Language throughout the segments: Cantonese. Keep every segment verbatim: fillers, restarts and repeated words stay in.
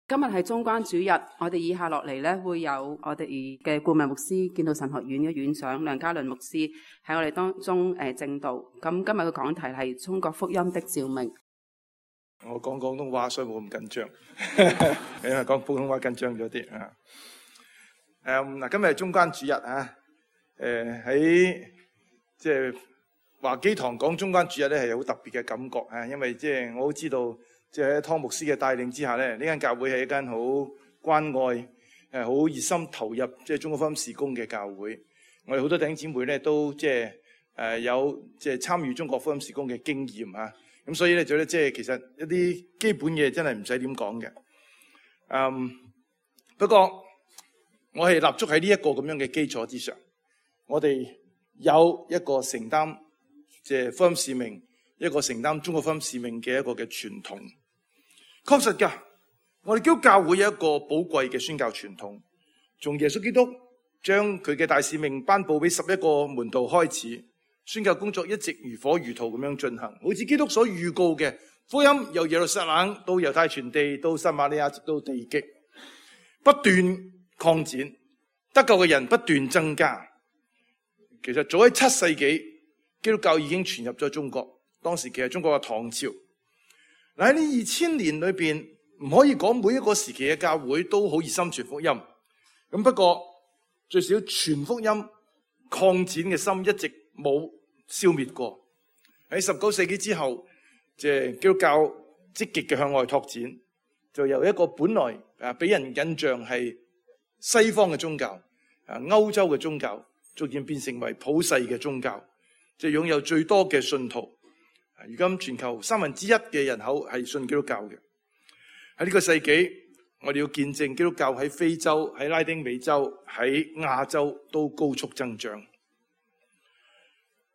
今日係中關主日，我哋以下落嚟咧會有我哋嘅顧問牧師，建道神學院嘅院長梁家麟牧師喺我哋當中誒證道。咁今日嘅講題係中國福音的照明。我講廣東話，所以冇咁緊張，因為講普通話緊張咗啲啊。誒嗱，今日係中關主日啊。誒喺即係華基堂講中關主日咧，係有好特別嘅感覺啊，因為即係我都知道。即係喺湯牧師嘅帶領之下咧，呢間教會係一間好關愛、誒好熱心投入即係中國福音事工嘅教會。我哋好多弟兄姊妹咧都即係誒有即係參與中國福音事工嘅經驗啊。咁所以咧就咧即係其實一啲基本嘢真係唔使點講嘅。嗯，不過我係立足喺呢一個咁樣嘅基礎之上，我哋有一個承擔即係福音使命，一個承擔中國福音使命嘅一個嘅傳統。確實㗎，我哋基督教會有一個寶貴嘅宣教傳統，從耶穌基督將佢嘅大使命頒布俾十一個門徒開始，宣教工作一直如火如荼咁樣進行，好似基督所預告嘅，福音由耶路撒冷到猶太全地到撒瑪利亞直到地極，不斷擴展，得救嘅人不斷增加。其實早喺七世紀，基督教已經傳入咗中國，當時其實中國嘅唐朝。喺呢二千年裏邊，唔可以講每一個時期嘅教會都好熱心傳福音。咁不過最少傳福音擴展嘅心一直冇消滅過。喺十九世紀之後，即係基督教積極嘅向外拓展，就由一個本來啊俾人印象係西方嘅宗教、啊歐洲嘅宗教，逐漸變成為普世嘅宗教，即係擁有最多嘅信徒。如今全球三分之一嘅人口係信基督教嘅。喺呢個世紀，我哋要見證基督教喺非洲、喺拉丁美洲、喺亞洲都高速增長。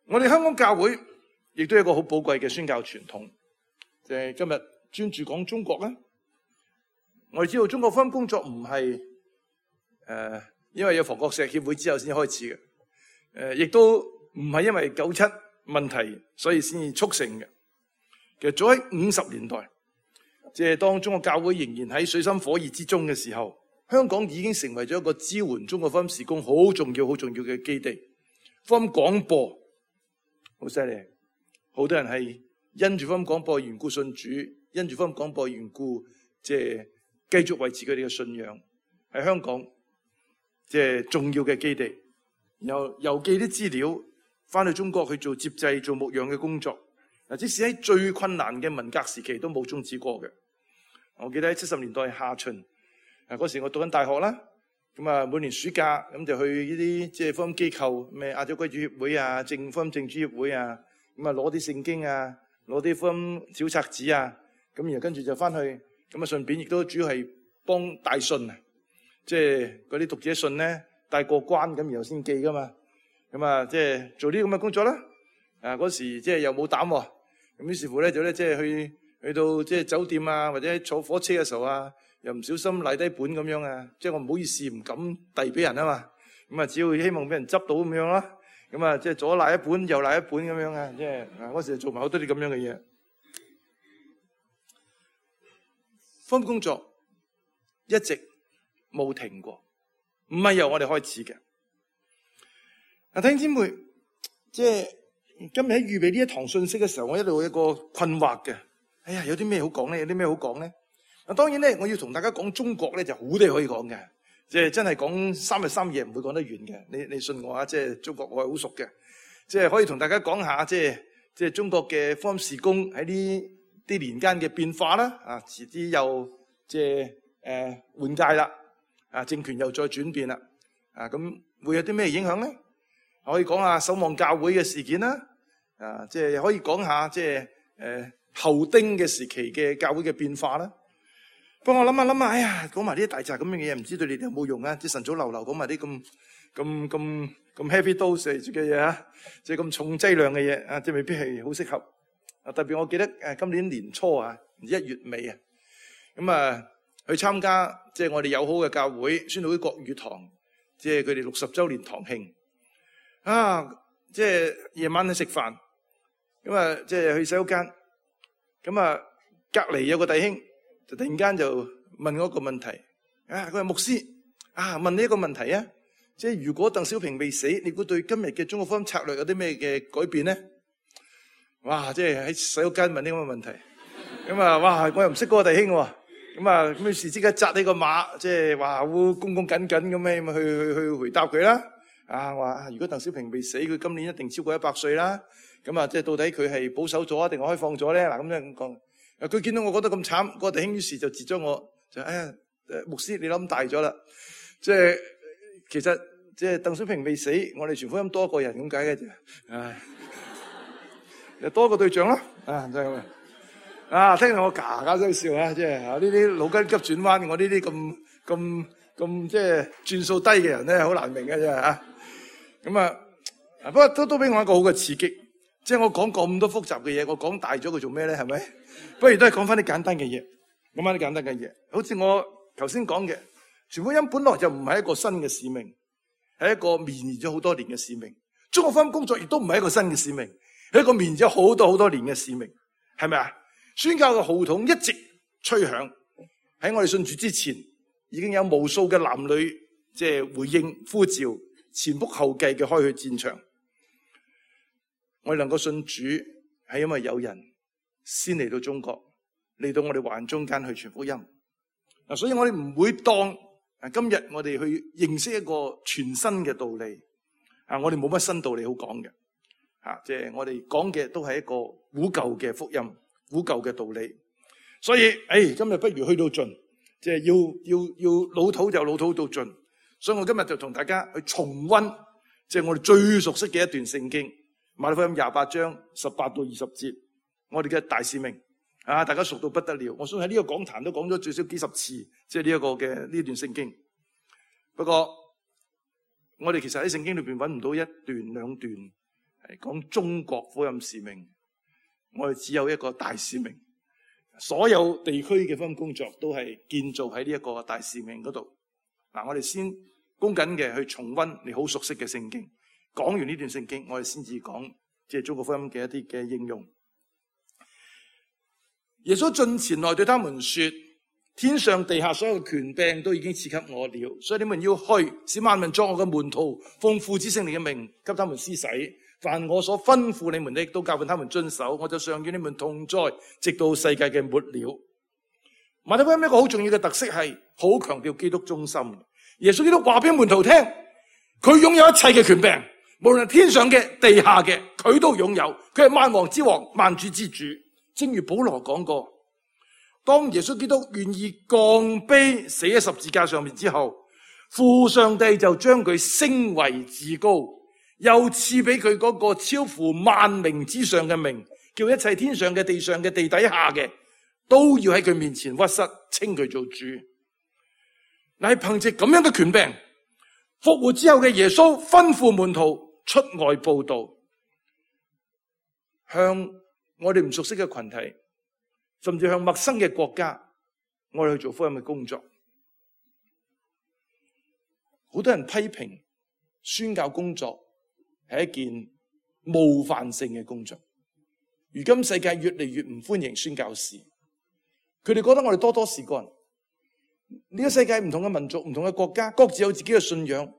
我哋香港教會亦都有一個好寶貴嘅宣教傳統，就係今日專注講中國啦。我哋知道中國福音工作唔係誒，因為有防國石協會之後先開始嘅，誒，亦都唔係因為九七問題所以先至促成嘅。其實早喺五十年代，即係當中國教會仍然喺水深火熱之中嘅時候，香港已經成為咗一個支援中國福音事工好重要、好重要嘅基地。福音廣播好犀利，好多人係因住福音廣播緣故信主，因住福音廣播緣故，即係繼續維持佢哋嘅信仰喺香港，即係重要嘅基地。然後郵寄啲資料翻去中國去做接濟、做牧養嘅工作。嗱，即使喺最困難嘅文革時期都冇終止過嘅。我記得喺七十年代下旬，啊嗰時我讀緊大學啦，咁啊每年暑假咁就去呢啲即係福音機構，咩亞洲歸主協會啊、正福音正主協會啊，咁啊攞啲聖經啊、攞啲福音小冊子啊，咁然後跟住就翻去，咁啊順便亦都主要係幫帶信啊，即係嗰啲讀者信咧帶過關咁然後先寄噶嘛。咁啊，即係做啲咁嘅工作啦。啊，嗰時即係又冇膽喎，咁於是乎咧就咧即係去去到即係酒店啊，或者坐火車嘅時候啊，又唔小心賴低本咁樣啊，即係我唔好意思唔敢遞俾人啊嘛。咁啊，只要希望俾人執到咁樣啦。咁啊，即係左賴一本，右賴一本咁樣啊，即係啊嗰時做埋好多啲咁樣嘅嘢。福音工作一直冇停過，唔係由我哋開始嘅。啊，弟兄姊妹，即係今日喺預備呢一堂信息嘅時候，我一路有一個困惑嘅。哎呀，有啲咩好講咧？有啲咩好講咧？啊，當然咧，我要同大家講中國咧，就好多嘢可以講嘅。即係真係講三日三夜唔會講得完嘅。你你信我啊？即係中國我係好熟嘅。即係可以同大家講下，即係即係中國嘅福音事工喺呢啲年間嘅變化啦。啊，遲啲又即係誒換屆啦。啊，政權又再轉變啦。啊，咁會有啲咩影響咧？可以講下守望教會嘅事件啦，啊，即係可以講下即係誒後丁嘅時期嘅教會嘅變化啦。不過我諗下諗下，哎呀，講埋呢啲大雜咁嘅嘢，唔知對你哋有冇用啊？即係晨早流流講埋啲咁咁咁咁 heavy dose 嘅嘢啊，即係咁重劑量嘅嘢啊，即係未必係好適合。啊，特別我記得誒今年年初啊，一月尾啊，咁啊去參加即係我哋友好嘅教會宣道會國語堂，即係佢哋六十週年堂慶。啊！即係夜晚去食飯，咁啊，即係去洗手間，咁啊，隔籬有個弟兄就突然間就問我一個問題，啊，佢話牧師啊，問你一個問題啊，即係如果鄧小平未死，你估對今日嘅中國福音策略有啲咩嘅改變咧？哇！即係喺洗手間問呢咁嘅問題，咁啊，哇！我又唔識嗰個弟兄喎，咁啊，咁於是即刻紮起個馬，即係話會恭恭謹謹咁樣去去去回答佢啦。啊，話如果鄧小平未死，佢今年一定超過一百歲啦。咁啊，即係到底佢係保守咗定係開放咗咧？嗱，咁樣講，佢見到我覺得咁慘，嗰個弟兄於是就截咗我，就哎呀，牧師你諗大咗啦，即係其實即係鄧小平未死，我哋傳福音多個人咁解嘅啫，唉。又多個對象咯，啊，真係啊！聽到我嘎嘎聲笑啊，即係啊呢啲腦筋急轉彎，我呢啲咁咁咁即係轉數低嘅人咧，好難明嘅啫嚇。咁啊，不過都都俾我一個好嘅刺激，即係我講咁多複雜嘅嘢，我講大咗佢做咩咧？係咪？不如都係講翻啲簡單嘅嘢，講翻啲簡單嘅嘢。好似我頭先講嘅，傳福音本來就唔係一個新嘅使命，係一個綿延咗好多年嘅使命。中國福音工作亦都唔係一個新嘅使命。係一個綿延咗好多好多年嘅使命，係咪啊？宣教嘅號筒一直吹響，喺我哋信主之前，已經有無數嘅男女即係回應呼召，前仆後繼嘅開去戰場。我哋能夠信主，係因為有人先嚟到中國，嚟到我哋華人中間去傳福音。嗱，所以我哋唔會當啊今日我哋去認識一個全新嘅道理啊，我哋冇乜新道理好講嘅。啊！即係我哋講嘅都係一個古舊嘅福音、古舊嘅道理，所以誒，今日不如去到盡，即係要要要老土就老土到盡。所以我今日就同大家去重溫，即係我哋最熟悉嘅一段聖經，馬太福音廿八章十八到二十節，我哋嘅大使命啊！大家熟到不得了，我相信喺呢個講壇都講咗最少幾十次，即係呢一個嘅呢段聖經。不過我哋其實喺聖經裏邊揾唔到一段兩段。係講中國福音使命，我哋只有一個大使命，所有地區嘅福音工作都係建造喺呢一個大使命嗰度。嗱，我哋先恭謹嘅去重溫你好熟悉嘅聖經，講完呢段聖經，我哋先至講即係中國福音嘅一啲嘅應用。耶穌進前來對他們說：天上地下所有嘅權柄都已經賜給我了，所以你們要去，使萬民作我嘅門徒，奉父子聖靈嘅名給他們施洗。凡我所吩咐你們的，都教訓他們遵守，我就常與你們同在，直到世界嘅末了。馬太福音一個好重要嘅特色係，好強調基督中心。耶穌基督話俾門徒聽，佢擁有一切嘅權柄，無論係天上嘅、地下嘅，佢都擁有。佢係萬王之王、萬主之主。正如保羅講過，當耶穌基督願意降卑死喺十字架上面之後，父上帝就將佢升為至高，又賜俾佢嗰個超乎萬名之上嘅名，叫一切天上嘅、地上嘅、地底下嘅都要喺佢面前屈膝，稱佢做主。乃係憑借咁樣嘅權柄，復活之後嘅耶穌吩咐門徒出外佈道，向我哋唔熟悉嘅群體，甚至向陌生嘅國家，我哋去做福音嘅工作。好多人批評宣教工作係一件冒犯性嘅工作。如今世界越嚟越唔歡迎宣教士，佢哋覺得我哋多多事幹。呢個世界唔同嘅民族、唔同嘅國家，各自有自己嘅信仰。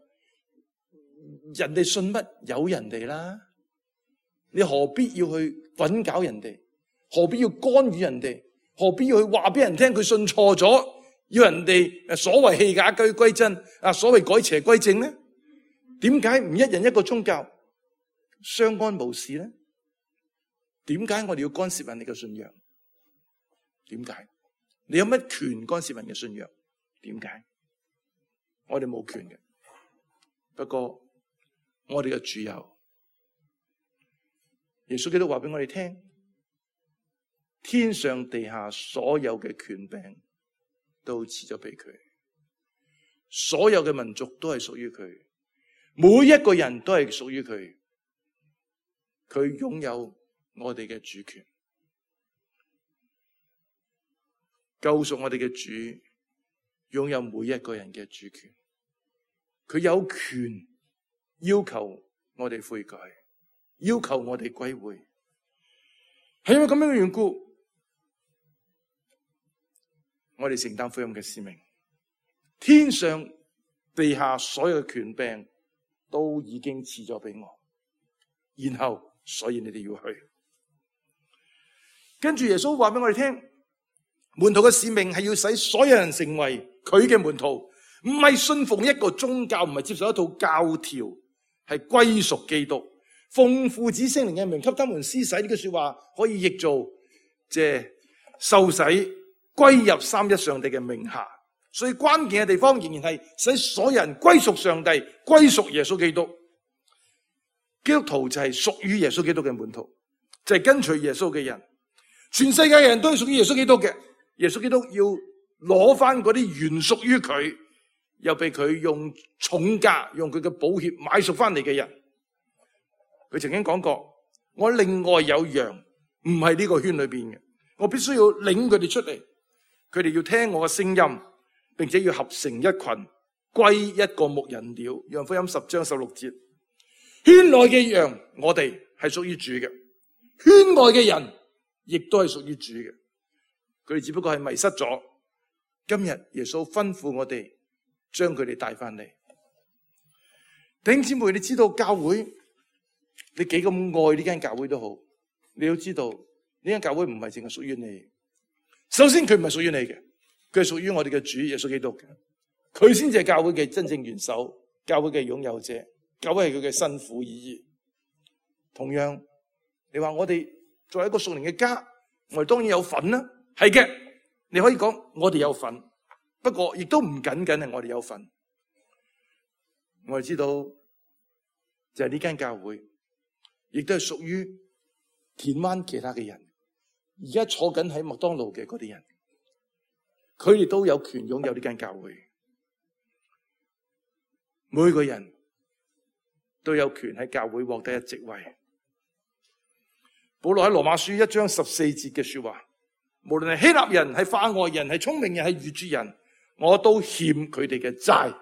人哋信乜有人哋啦，你何必要去滾搞人哋？何必要干預人哋？何必要去話俾人聽佢信錯咗？要人哋所謂棄假歸歸真啊，所謂改邪歸正呢？點解唔一人一個宗教相安無事呢？點解我哋要干涉人哋嘅信仰？點解？你有乜權干涉人嘅信仰？點解？我哋冇權嘅。不過我哋嘅主有，耶穌基督話俾我哋聽，天上地下所有嘅權柄都賜咗俾佢，所有嘅民族都係屬於佢，每一個人都係屬於佢，佢擁有我哋嘅主權，救贖我哋嘅主擁有每一個人嘅主權，佢有權要求我哋悔改，要求我哋歸回，係因為咁樣嘅緣故，我哋承擔福音嘅使命。天上地下所有嘅權柄都已經賜咗俾我，然後所以你哋要去。跟住耶穌話俾我哋聽，門徒嘅使命係要使所有人成為佢嘅門徒，唔係信奉一個宗教，唔係接受一套教條，係歸屬基督，奉父子聖靈嘅名給他們施洗。呢句說話可以譯做即係受洗歸入三一上帝嘅名下。所以關鍵嘅地方仍然係使所有人歸屬上帝，歸屬耶穌基督。基督徒就係屬於耶穌基督嘅門徒，就係跟隨耶穌嘅人。全世界嘅人都係屬於耶穌基督嘅，耶穌基督要攞翻嗰啲原屬於佢，又被佢用重價、用佢嘅寶血買贖翻嚟嘅人。佢曾經講過，我另外有羊，唔係呢個圈裏邊嘅，我必須要領佢哋出嚟，佢哋要聽我嘅聲音，並且要合成一群，歸一個牧人了。約翰福音十章十六節，圈內嘅羊，我哋係屬於主嘅；圈外嘅人，亦都係屬於主嘅。佢哋只不過係迷失咗。今日耶穌吩咐我哋將佢哋帶翻嚟。弟兄姊妹，你知道教會，你幾咁愛呢間教會都好，你要知道呢間教會唔係淨係屬於你。首先佢唔係屬於你嘅，佢係屬於我哋嘅主耶穌基督嘅。佢先至係教會嘅真正元首，教會嘅擁有者，教會係佢嘅新婦意義。同樣，你話我哋作為一個屬靈嘅家，我哋當然有份啦。係嘅，你可以講我哋有份，不過亦都唔僅僅係我哋有份。我哋知道就係呢間教會，亦都係屬於田灣其他嘅人。而家坐緊喺麥當勞嘅嗰啲人，佢哋都有權擁有呢間教會。每個人都有權喺教會獲得一席位。保羅喺羅馬書一章十四節嘅說話，無論係希臘人、係化外人、係聰明人、係愚拙人，我都欠佢哋嘅債，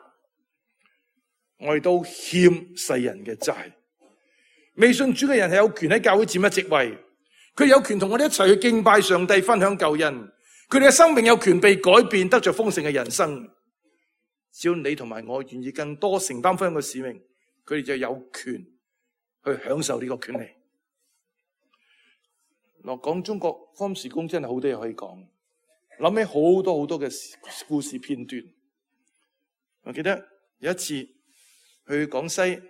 我哋都欠世人嘅債。未信主嘅人係有權喺教會佔一席位，佢有權同我哋一齊去敬拜上帝、分享救恩，佢哋嘅生命有權被改變，得着豐盛嘅人生。只要你同埋我願意更多承擔福音嘅使命，佢哋就有權去享受呢個權利。落講中國福音事工真係好多嘢可以講，諗起好多好多嘅故事片段。我記得有一次去廣西，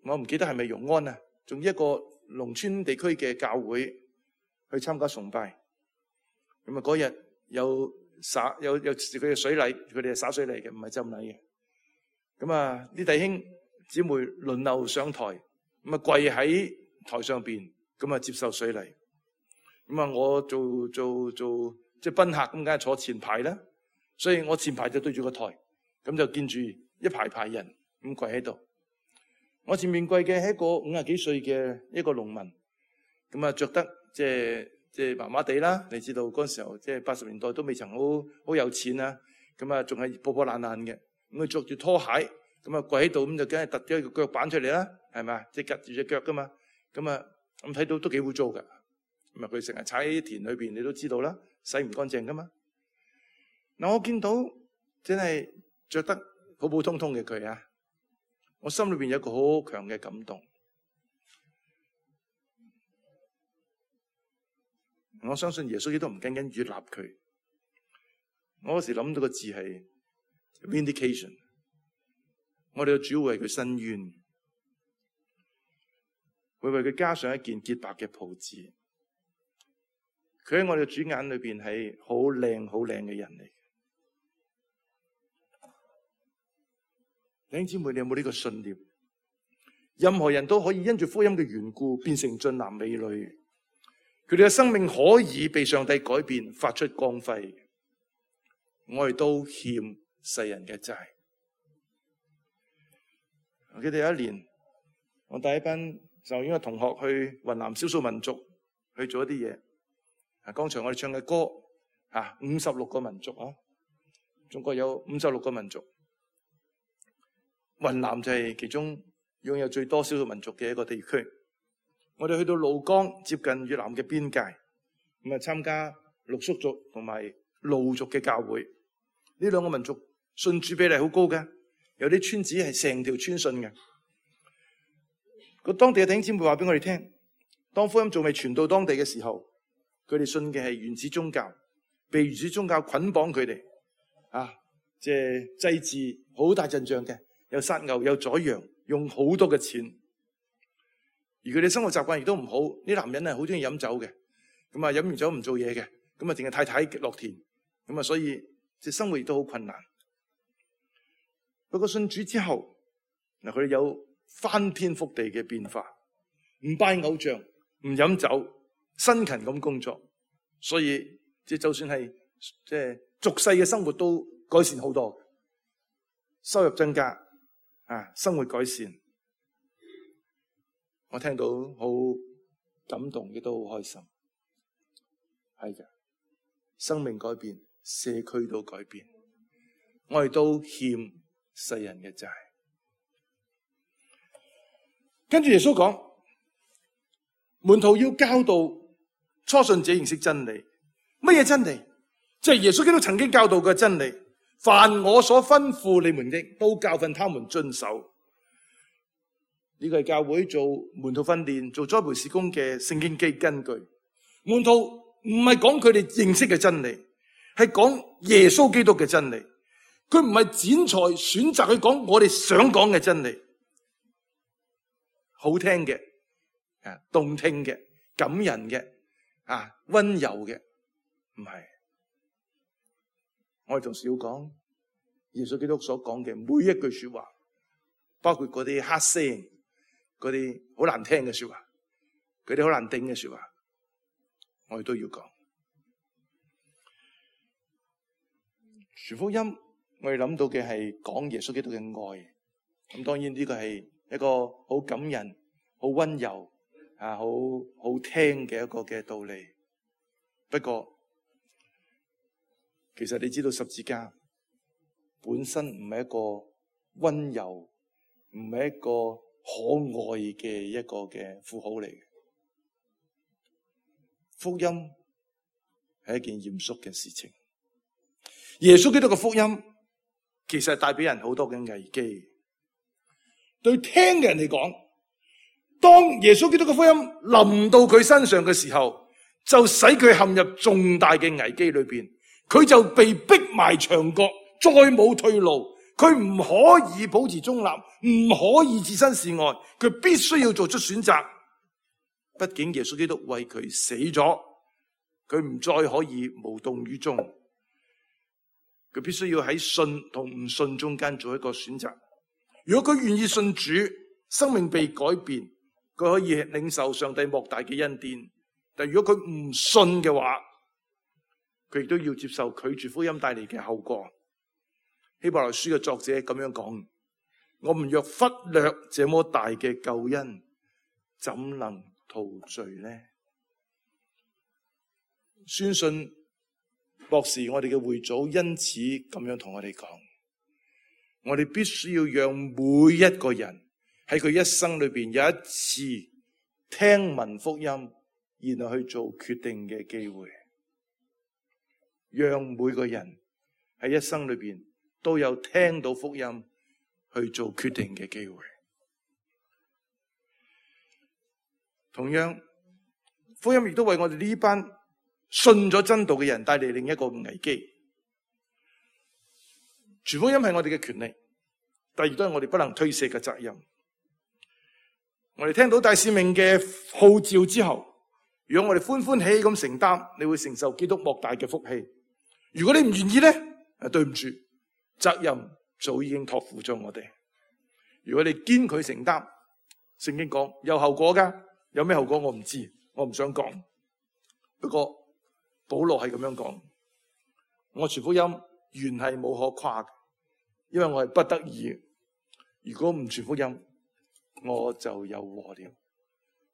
我唔記得係咪容安啊，仲一個農村地區嘅教會去參加崇拜。咁啊嗰日有灑有有佢嘅水禮，佢哋係灑水禮嘅，唔係浸禮嘅。咁啊啲弟兄姊妹輪流上台，咁啊跪喺台上邊。咁啊，接受水禮。咁啊，我做做做即係賓客，咁梗係坐前排啦。所以我前排就對住個台，咁就見住一排排人咁跪喺度。我前面跪嘅係一個五十幾歲嘅一個農民，咁啊着得即係即係麻麻地啦。你知道嗰陣時候即係八十年代都未曾好好有錢啊，咁啊仲係破破爛爛嘅。咁佢着住拖鞋，咁啊跪喺度，咁就梗係突咗個腳板出嚟啦，係咪？即係夾住隻腳噶嘛，咁啊。咁睇到都幾污糟噶，咁啊佢成日踩喺田裏邊，你都知道啦，洗唔乾淨噶嘛。嗱，我見到真係着得普普通通嘅佢啊，我心裏邊有一個好強嘅感動。我相信耶穌基督唔僅僅悅納佢，我嗰時諗到個字係 vindication， 我哋嘅主會為佢伸冤。會為佢加上一件潔白嘅袍子，佢喺我哋嘅主眼裏邊係好靚、好靚嘅人嚟。弟兄姊妹，你有冇呢個信念？任何人都可以因住福音嘅緣故變成俊男美女，佢哋嘅生命可以被上帝改變，發出光輝。我哋都欠世人嘅債。我記得有一年，我帶一班就應該同學去雲南少數民族去做一啲嘢。啊，剛才我哋唱嘅歌，啊，五十六個民族啊，中國有五十六個民族，雲南就係其中擁有最多少數民族嘅一個地區。我哋去到怒江，接近越南嘅邊界，咁啊參加傈僳族同埋路族嘅教會，呢兩個民族信主比例好高嘅，有啲村子係成條村信嘅。個當地嘅弟兄姊妹話俾我哋聽，當福音仲未傳到當地嘅時候，佢哋信嘅係原始宗教，被原始宗教捆綁佢哋，啊，即係祭祀好大陣仗嘅，有殺牛有宰羊，用好多嘅錢。而佢哋生活習慣亦都唔好，啲男人係好中意飲酒嘅，咁啊飲完酒唔做嘢嘅，咁啊淨係太太落田，咁啊所以即係生活亦都好困難。不過信主之後，嗱佢哋有翻天覆地嘅變化，唔拜偶像，唔飲酒，辛勤咁工作，所以即係就算係即係俗世嘅生活都改善好多，收入增加，啊生活改善。我聽到好感動，亦都好開心。係嘅，生命改變，社區都改變，我哋都欠世人嘅債。跟住耶穌講，門徒要教導初信者認識真理。乜嘢真理？即係耶穌基督曾經教導嘅真理。凡我所吩咐你們的，都教訓他們遵守。呢個係教會做門徒訓練、做栽培事工嘅聖經基根據。門徒唔係講佢哋認識嘅真理，係講耶穌基督嘅真理。佢唔係剪裁選擇去講我哋想講嘅真理，好聽嘅、啊動聽嘅、感人嘅、啊溫柔嘅，唔係。我哋同時要講耶穌基督所講嘅每一句說話，包括嗰啲黑聲。嗰啲好難聽嘅說話，嗰啲好難頂嘅說話，我哋都要講。傳福音，我哋諗到嘅係講耶穌基督嘅愛。咁當然呢個係一個好感人、好溫柔啊、好好聽嘅一個嘅道理。不過，其實你知道十字架本身唔係一個溫柔，唔係一個可愛嘅一個嘅符號嚟嘅。福音係一件嚴肅嘅事情。耶穌基督嘅福音其實係帶俾人好多嘅危機。對聽嘅人嚟講，當耶穌基督嘅福音臨到佢身上嘅時候，就使佢陷入重大嘅危機裏邊，佢就被逼埋牆角，再冇退路。佢唔可以保持中立，唔可以置身事外，佢必須要做出選擇。畢竟耶穌基督為佢死咗，佢唔再可以無動於衷，佢必須要喺信同唔信中間做一個選擇。如果佢願意信主，生命被改變，佢可以領受上帝莫大嘅恩典。但如果佢唔信嘅話，佢亦都要接受拒絕福音帶嚟嘅後果。希伯來書嘅作者咁樣講：我們若忽略這麼大嘅救恩，怎能逃罪呢？宣信博士，我哋嘅會祖因此咁樣同我哋講：我哋必須要讓每一個人喺佢一生裏邊有一次聽聞福音，然後去做決定嘅機會，讓每個人喺一生裏邊都有聽到福音去做決定嘅機會。同樣，福音亦都為我哋呢班信咗真道嘅人帶嚟另一個危機。傳福音係我哋嘅權利，但亦都係我哋不能推卸嘅責任。我哋聽到大使命嘅號召之後，如果我哋歡歡喜喜咁承擔，你會承受基督莫大嘅福氣。如果你唔願意咧，啊，對唔住。責任早已經託付咗我哋。如果你堅拒承擔，聖經講有後果噶，有咩後果我唔知，我唔想講。不過保羅係咁樣講：我傳福音原係冇可誇嘅，因為我係不得已。如果唔傳福音，我就有禍了。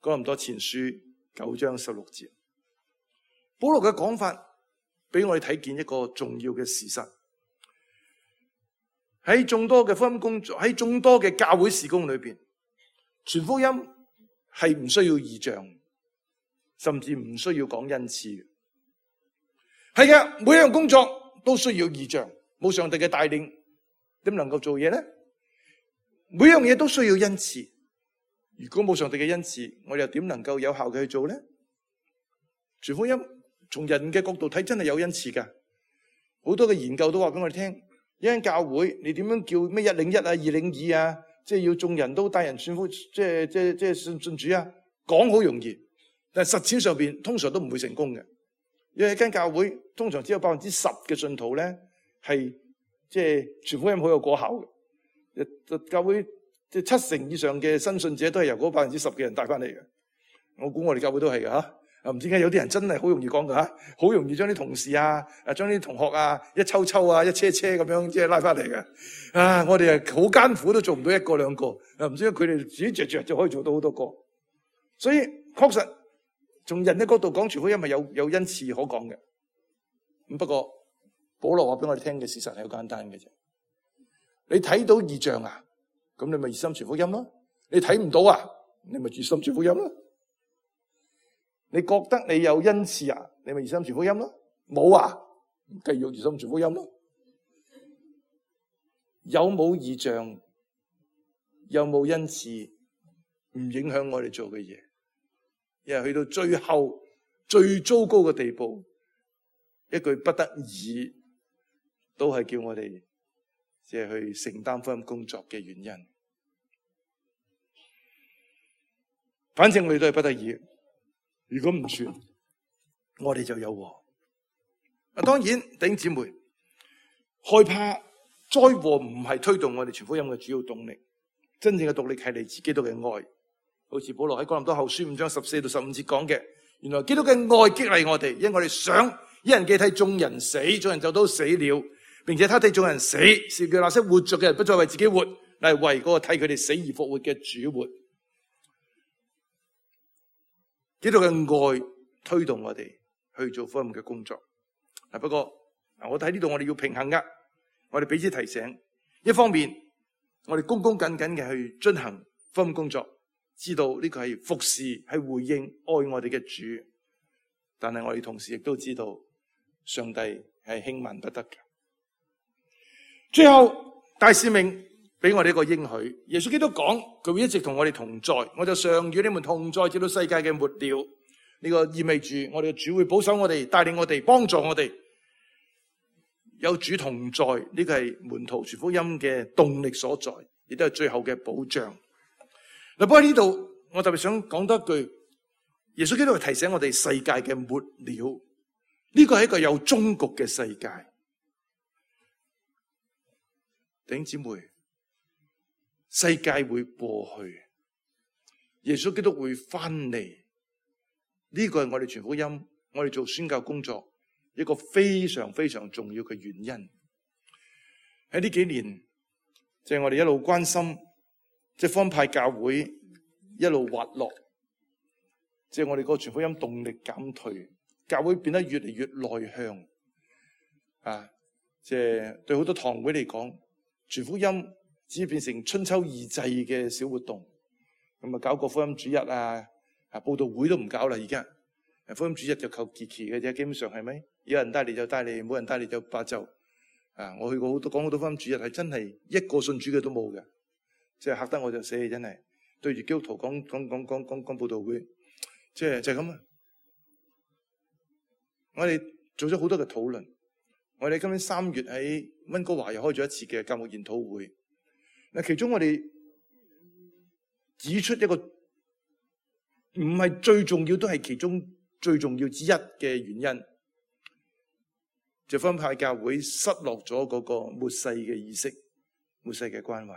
哥林多前書九章十六節，保羅嘅講法俾我哋睇見一個重要嘅事實。喺眾多嘅福音工作，喺眾多嘅教會事工裏邊，傳福音係唔需要異象，甚至唔需要講恩賜。係嘅，每一樣工作都需要異象，冇上帝嘅帶領，點能夠做嘢咧？每樣嘢都需要恩賜，如果冇上帝嘅恩賜，我哋又點能夠有效嘅去做咧？傳福音從人嘅角度睇，真係有恩賜噶。好多嘅研究都話俾我哋聽，一間教會你點樣叫咩一領一啊、二領二啊，即係要眾人都帶人信福，即係即係即係信信主啊。講好容易，但係實踐上邊通常都唔會成功嘅。因為一間教會通常只有百分之十嘅信徒咧係即係傳福音好有果效嘅。教會即係七成以上嘅新信者都係由嗰百分之十嘅人帶翻嚟嘅。我估我哋教會都係嘅吓。啊，唔知點解有啲人真係好容易講噶吓，好容易將啲同事啊、啊將啲同學啊一抽抽啊、一車車咁樣即係拉翻嚟嘅。啊，我哋係好艱苦都做唔到一個兩個。啊，唔知佢哋自己着着就可以做到好多個。所以確實從人嘅角度講，傳福音係有有恩賜可講嘅。咁不過保羅話俾我哋聽嘅事實係好簡單嘅啫。你睇到異象啊，咁你咪熱心傳福音咯。你睇唔到啊，你咪熱心傳福音咯。你覺得你有恩賜啊，你咪熱心傳福音咯。冇啊，繼續熱心傳福音咯。有冇異象，有冇恩賜，唔影響我哋做嘅嘢。因為去到最後最糟糕嘅地步，一句不得已都係叫我哋即係去承擔福音工作嘅原因。反正我哋都係不得已。如果唔傳，我哋就有禍。啊，當然弟兄姊妹，害怕災禍唔係推動我哋傳福音嘅主要動力，真正嘅動力係嚟自基督嘅愛。好似保羅喺哥林多後書五章十四到十五節講嘅，原來基督嘅愛激勵我哋，因為我哋想一人既替眾人死，眾人就都死了，並且他替眾人死，是叫那些活着嘅人不再為自己活，乃係為嗰個替佢哋死而復活嘅主活。基督嘅愛推動我哋去做福音嘅工作。嗱，不過我睇呢度我哋要平衡噶，我哋彼此提醒，一方面我哋恭恭謹謹嘅去進行福音工作，知道呢個係服侍，係回應愛我哋嘅主，但係我哋同時亦都知道上帝係輕慢不得嘅。最後大使命俾我哋一個應許，耶穌基督講佢會一直同我哋同在，我就常與你們同在，直到世界嘅末了。呢個意味住我哋嘅主會保守我哋，帶領我哋，幫助我哋。有主同在，呢個係門徒傳福音嘅動力所在，亦都係最後嘅保障。嗱，不過呢度我特別想講多一句，耶穌基督係提醒我哋世界嘅末了，呢個係一個有終局嘅世界。弟兄姊妹，世界會過去，耶穌基督會翻嚟，呢個係我哋傳福音，我哋做宣教工作一個非常非常重要嘅原因。喺呢幾年，即係我哋一路關心，即係方派教會一路滑落，即係我哋個傳福音動力減退，教會變得越嚟越內向啊！即係對好多堂會嚟講，傳福音只變成春秋二祭嘅小活動，咁啊搞個福音主日啊，啊佈道會都唔搞啦，而家福音主日就靠祈祈嘅啫，基本上係咪？有人帶嚟就帶嚟，冇人帶嚟就罷就。啊，我去過好多講好多福音主日，係真係一個信主嘅都冇嘅，即係嚇得我就死，真係對住基督徒講講講講講講佈道會，即係就係咁啊！我哋做咗好多嘅討論，我哋今年三月喺溫哥華又開咗一次嘅教牧研討會。嗱，其中我哋指出一個唔係最重要，都係其中最重要之一嘅原因，就分派教會失落咗嗰個末世嘅意識、末世嘅關懷。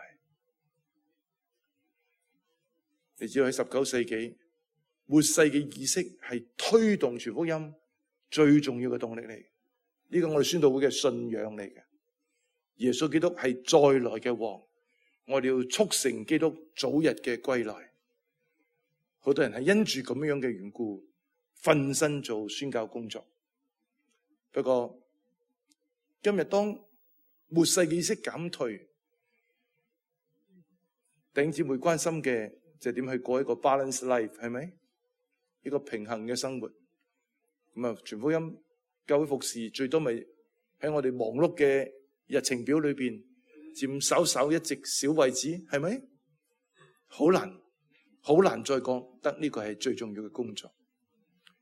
你知道喺十九世紀，末世嘅意識係推動傳福音最重要嘅動力嚟。呢個我哋宣道會嘅信仰嚟嘅。耶穌基督係再來嘅王，我哋要促成基督早日嘅歸來。好多人係因住咁樣嘅緣故，奮身做宣教工作。不過今日當末世嘅意識減退，弟兄姊妹關心嘅就係點去過一個 balance life， 係咪？一個平衡嘅生活。咁啊，傳福音教會服侍最多咪喺我哋忙碌嘅日程表裏邊佔稍稍一席小位置，係咪？好難，好難再講得呢個係最重要嘅工作。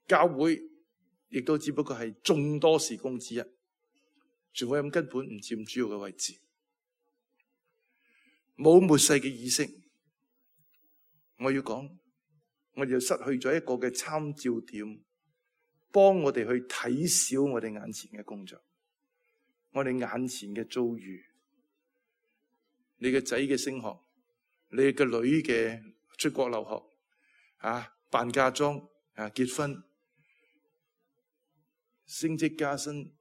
教會亦都只不過係眾多事工之一，傳福音根本唔佔主要嘅位置，冇末世嘅意識。我要講，我哋就失去咗一個嘅參照點，幫我哋去睇小我哋眼前嘅工作，我哋眼前嘅遭遇，你嘅仔嘅升學，你嘅女嘅出國留學，啊，辦嫁妝，啊，結婚，升職加薪，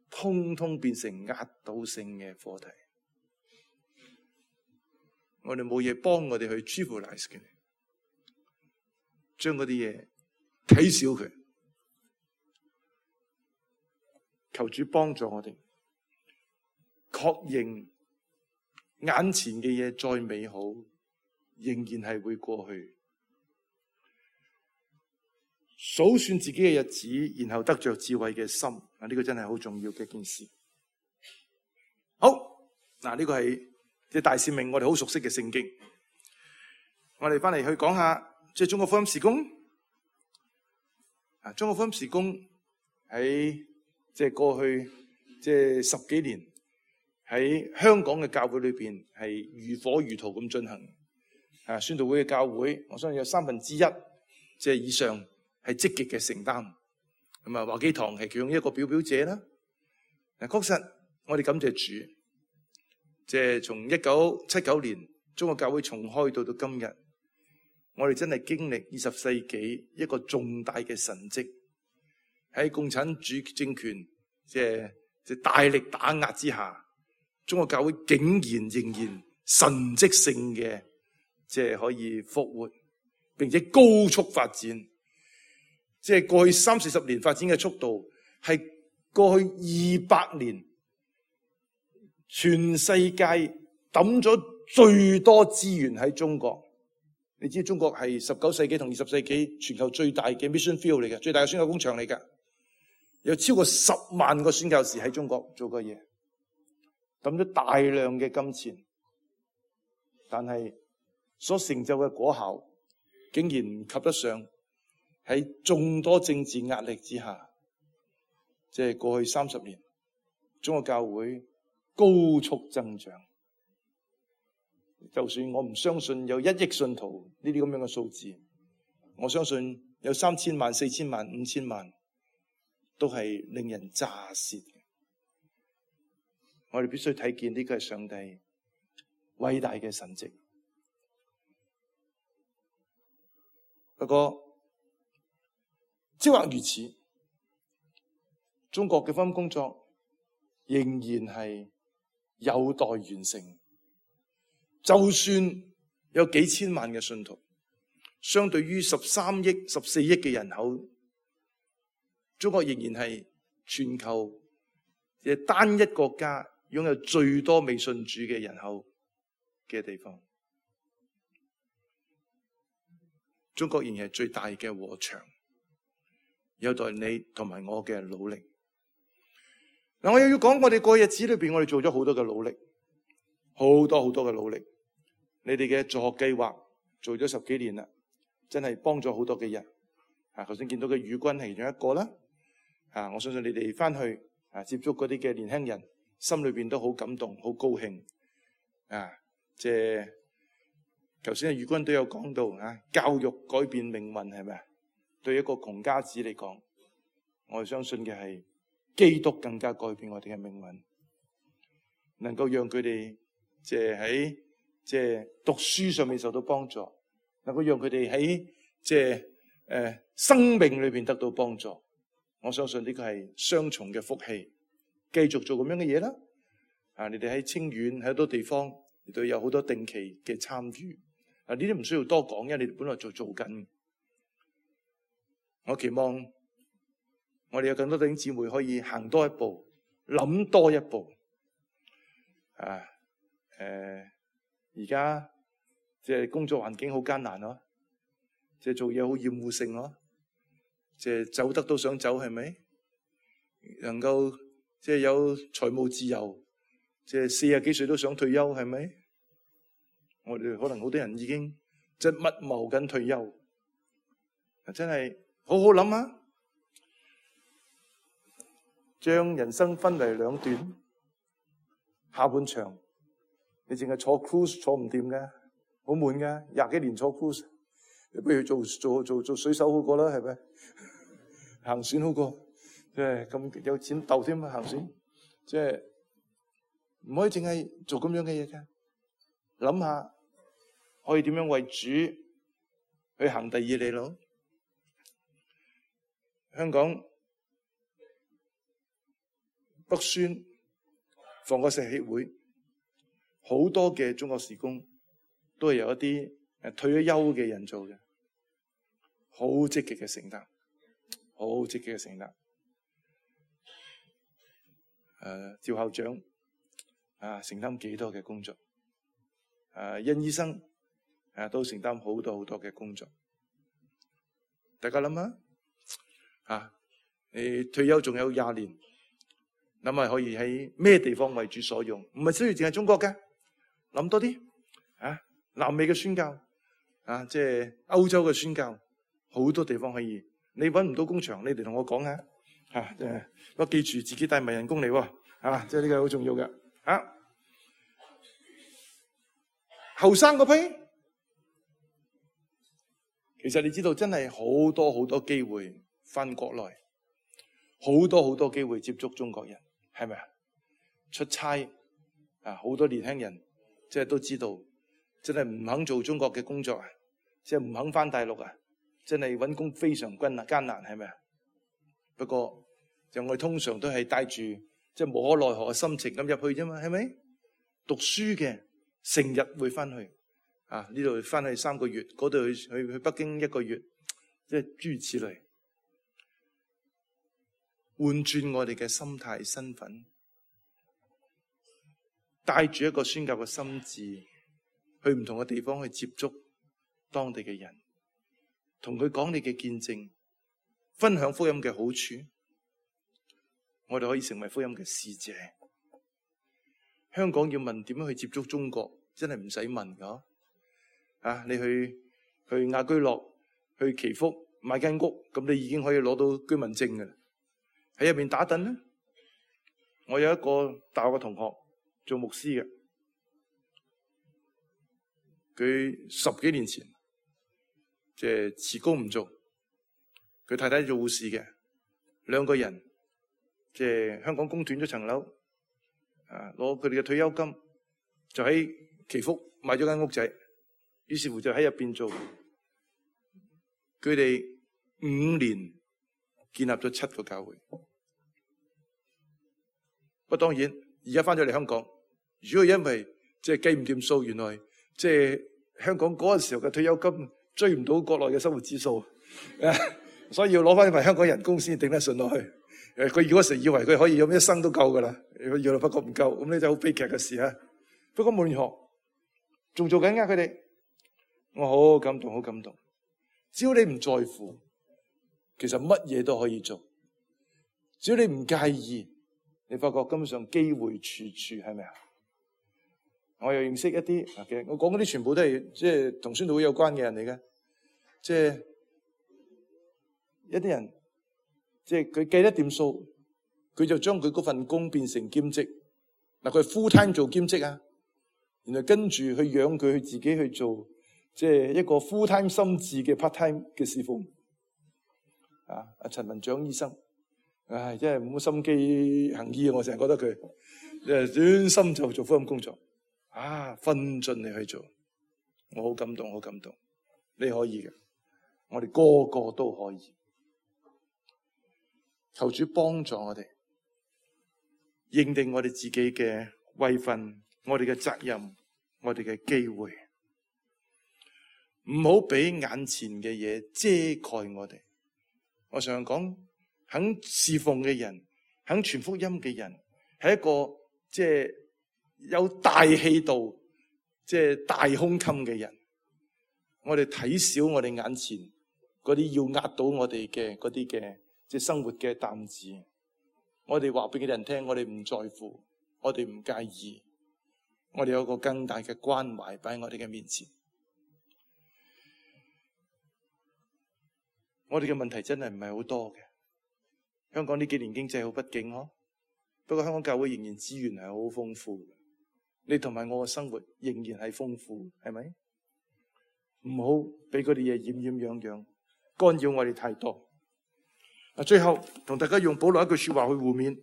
通通變成壓倒性嘅課題。我哋冇嘢幫我哋去 trivialize 嘅，將嗰啲嘢睇小佢。求主幫助我哋，確認眼前嘅嘢再美好，仍然係會過去。數算自己嘅日子，然後得着智慧嘅心，啊，呢個真係好重要嘅一件事。好，嗱，呢個係即係大使命，我哋好熟悉嘅聖經。我哋翻嚟去講下，即係中國福音事工。啊，中國福音事工喺即係過去即係十幾年喺香港嘅教會裏邊係如火如荼咁進行。啊，宣道會嘅教會，我相信有三分之一即係以上係積極嘅承擔。咁啊，華基堂係其中一個表表者啦。嗱，確實我哋感謝主。即係從一九七九年中國教會重開到到今日，我哋真係經歷二十世紀一個重大嘅神蹟，喺共產主政權即係即係大力打壓之下，中國教會竟然仍然神蹟性嘅即係可以復活，並且高速發展。即係過去三四十年發展嘅速度，係過去二百年。全世界抌咗最多資源喺中國，你知中國係十九世紀同二十世紀全球最大嘅 mission field 嚟嘅，最大嘅宣教工場嚟㗎，有超過十萬個宣教士喺中國做過嘢，抌咗大量嘅金錢，但係所成就嘅果效竟然唔及得上喺眾多政治壓力之下，即係過去三十年中國教會高速增長，就算我唔相信有一億信徒呢啲咁樣嘅數字，我相信有三千萬、四千萬、五千萬，都係令人咋舌嘅。我哋必須睇見呢個係上帝偉大嘅神蹟。不過，即或如此，中國嘅福音工作仍然係有待完成。就算有幾千萬嘅信徒，相對於十三億、十四億嘅人口，中國仍然係全球嘅單一國家擁有最多未信主嘅人口嘅地方。中國仍然係最大嘅禾場，有待你同埋我嘅努力。嗱，我又要講，我哋過去日子裏邊，我哋做咗好多嘅努力，好多好多嘅努力。你哋嘅助學計劃做咗十幾年啦，真係幫咗好多嘅人。啊，頭先見到嘅宇軍係其中一個啦。啊，我相信你哋翻去啊接觸嗰啲嘅年輕人，心裏邊都好感動，好高興。啊，即係頭先嘅宇軍都有講到啊，教育改變命運係咪啊？對一個窮家子嚟講，我哋相信嘅係基督更加改變我哋嘅命運，能夠讓佢哋即係喺即係讀書上面受到幫助，能夠讓佢哋喺即係誒生命裏邊得到幫助。我相信呢個係雙重嘅福氣，繼續做咁樣嘅嘢啦。啊，你哋喺清遠喺好多地方，亦都有好多定期嘅參與。啊，呢啲唔需要多講，因為你哋本來就做緊。我期望我哋有更多弟兄姊妹可以行多一步，諗多一步。啊，誒，而家即係工作環境好艱難咯，即係做嘢好厭惡性咯，即係走得都想走，係咪？能夠即係有財務自由，即係四十幾歲都想退休，係咪？我哋可能好多人已經即係密謀緊退休，真係好好諗啊！將人生分為兩段，下半場你淨係坐 cruise 坐唔掂嘅，好悶嘅，廿幾年坐 cruise， 你不如做做做做水手好過啦，係咪？行船好過，即係咁有錢鬥添啊！行船即係唔可以淨係做咁樣嘅嘢嘅，諗下可以點樣為主去行第二里路。香港北宣防國石協會好多嘅中國事工都係由一啲誒退咗休嘅人做嘅，好積極嘅承擔，好積極嘅承擔。誒、呃，趙校長啊，承擔幾多嘅工作？誒、呃，殷醫生啊，都承擔好多好多嘅工作。大家諗下，啊，你退休仲有廿年，諗下可以喺咩地方為主所用？唔係需要淨係中國嘅，諗多啲啊！南美嘅宣教啊，即係歐洲嘅宣教，好多地方可以。你搵唔到工場，你哋同我講下吓，即係我記住自己帶埋人工嚟，啊，即係呢個好重要嘅。啊，後生嗰批，其實你知道真係好多好多機會翻國內，好多好多機會接觸中國人，係咪啊？出差啊，好多年輕人即係都知道，真係唔肯做中國嘅工作啊，即係唔肯翻大陸啊，真係揾工非常困難艱難，係咪啊？不過就我哋通常都係帶住即係無可奈何嘅心情咁入去啫嘛，係咪？讀書嘅成日會翻去啊，呢度翻去三個月，嗰度去去去北京一個月，即係諸如此類，換轉我哋嘅心態身份，帶住一個宣教嘅心志，去唔同嘅地方去接觸當地嘅人，同佢講你嘅見證，分享福音嘅好處，我哋可以成為福音嘅使者。香港要問點樣去接觸中國，真係唔使問噶。啊，你去去亞居樂、去祈福買間屋，咁你已經可以攞到居民證噶啦。喺入面打躉咧，我有一個大學嘅同學做牧師嘅，佢十幾年前即係辭工唔做，佢太太做護士嘅，兩個人即係香港供斷咗層樓，啊，攞佢哋嘅退休金，就喺祈福買咗間屋仔，於是乎就喺入邊做，佢哋五年建立咗七個教會。不過當然而家翻咗嚟香港，如果因為即係計唔掂數，原來即係香港嗰陣時候嘅退休金追唔到國內嘅生活指數，所以要攞翻份香港人工先頂得順落去。誒，佢嗰時以為佢可以咁一生都夠噶啦，佢要發覺唔夠，咁呢就好悲劇嘅事啊！不過無論如何，仲做緊㗎佢哋，我好感動，好感動。只要你唔在乎，其實乜嘢都可以做。只要你唔介意，你發覺根本上機會處處，係咪啊？我又認識一啲，其實我講嗰啲全部都係即係同宣道會有關嘅人嚟嘅，即係一啲人。即係佢計得掂數，佢就將佢嗰份工變成兼職。嗱，佢係 full time 做兼職啊，然後跟住去養佢，去自己去做，即係一個 full time 心智嘅 part time 嘅侍奉。啊，阿陳文長醫生，唉，真係冇乜心機行醫啊！我成日覺得佢，誒，專心就做福音工作，啊，分盡力去做，我好感動，好感動。你可以嘅，我哋個個都可以。求主幫助我哋認定我哋自己嘅位份，我哋嘅責任，我哋嘅機會，唔好俾眼前嘅嘢遮蓋我哋。我常常講，肯侍奉嘅人，肯傳福音嘅人，係一個即係有大氣度、即係大胸襟嘅人。我哋睇小我哋眼前嗰啲要壓倒我哋嘅嗰啲嘅。即係生活嘅擔子，我哋話俾佢哋人聽，我哋唔在乎，我哋唔介意，我哋有個更大嘅關懷擺喺我哋嘅面前。我哋嘅問題真係唔係好多嘅。香港呢幾年經濟好不景嗬，不過香港教會仍然資源係好豐富嘅。你同埋我嘅生活仍然係豐富，係咪？唔好俾嗰啲嘢掩掩樣樣，干擾我哋太多。最後同大家用保羅一句說話去互勉。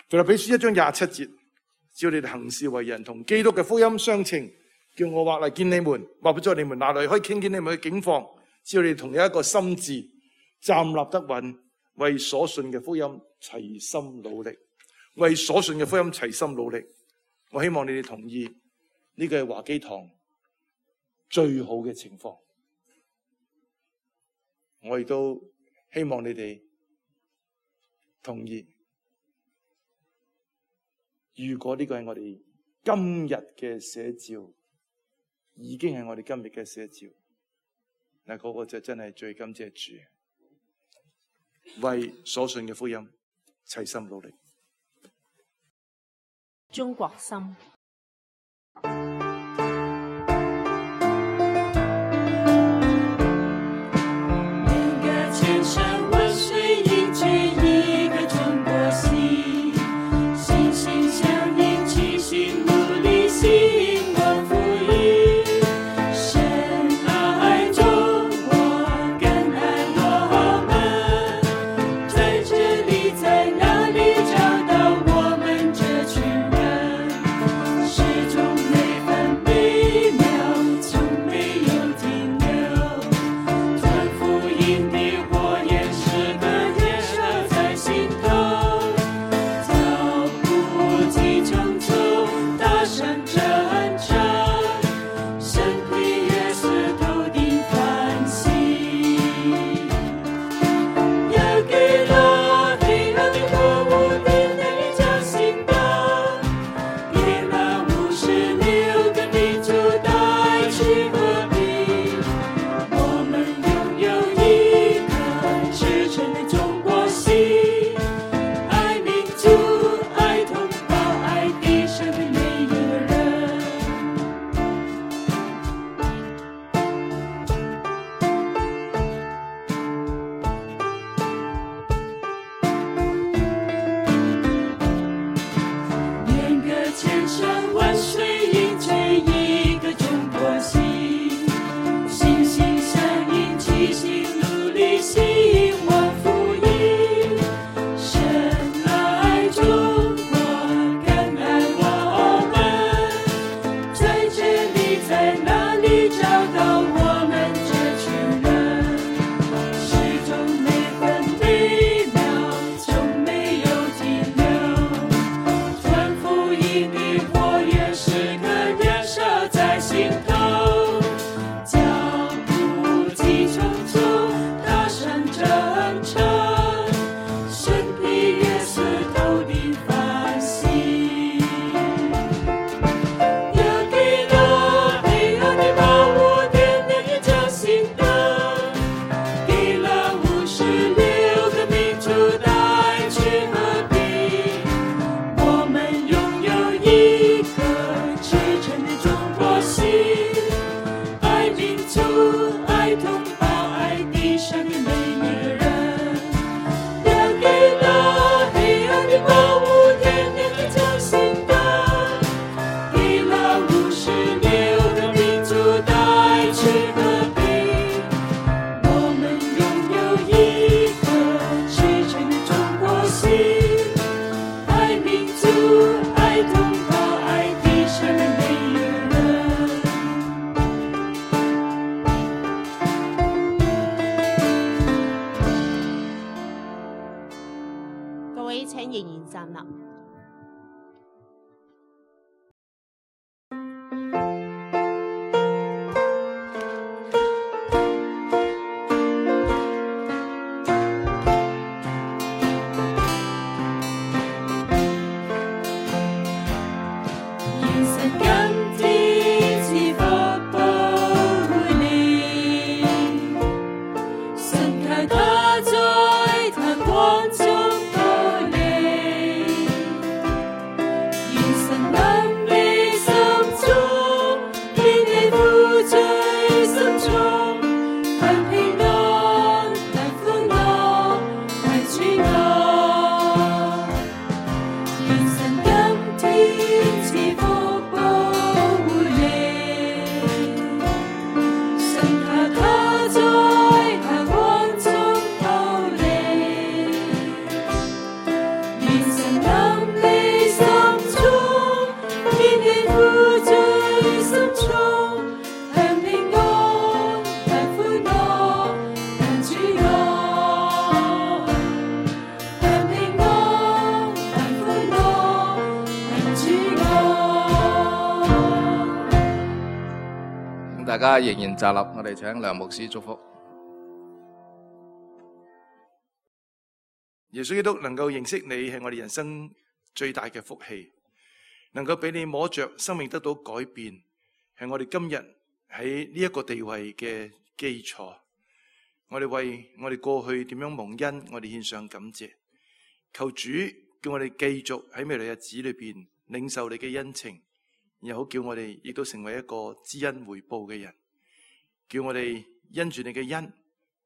腓立比書一章廿七節，只要你哋行事為人同基督嘅福音相稱，叫我或嚟見你們，或不在你們那裏，可以傾見你們嘅境況。只要你哋同有一個心志，站立得穩，為所信嘅福音齊心努力，為所信嘅福音齊心努力。我希望你哋同意呢個係華基堂最好嘅情況。我亦都希望你哋同意，如果呢個係我哋今日嘅寫照，已經係我哋今日嘅寫照，嗱，嗰個就真係最感謝主，為所信嘅福音齊心努力。中國心。他在他光中。大家仍然站立，我哋請梁牧師祝福。耶穌基督能夠認識你係我哋人生最大嘅福氣，能夠俾你摸着生命得到改變，係我哋今日喺呢一個地位嘅基礎。我哋為我哋過去點樣蒙恩，我哋獻上感謝。求主叫我哋繼續喺未來日子裏邊領受你嘅恩情，然後好叫我哋亦都成為一個知恩回報嘅人，叫我哋因住你嘅恩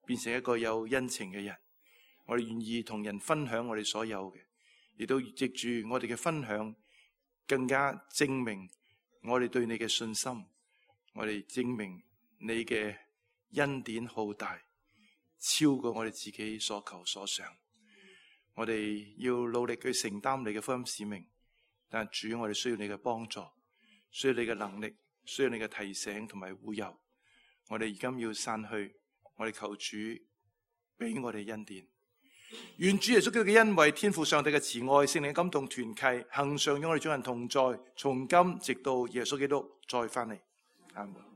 變成一個有恩情嘅人。我哋願意同人分享我哋所有嘅，亦都藉住我哋嘅分享，更加證明我哋對你嘅信心，我哋證明你嘅恩典浩大，超過我哋自己所求所想。我哋要努力去承擔你嘅福音使命，但主，我哋需要你嘅幫助，需要你嘅能力，需要你嘅提醒同埋護佑。我哋而今要散去，我哋求主俾我哋恩典。願主耶穌基督嘅恩惠、天父上帝嘅慈愛、聖靈嘅感動團契，恆常與我哋眾人同在，從今直到耶穌基督再翻嚟。阿們。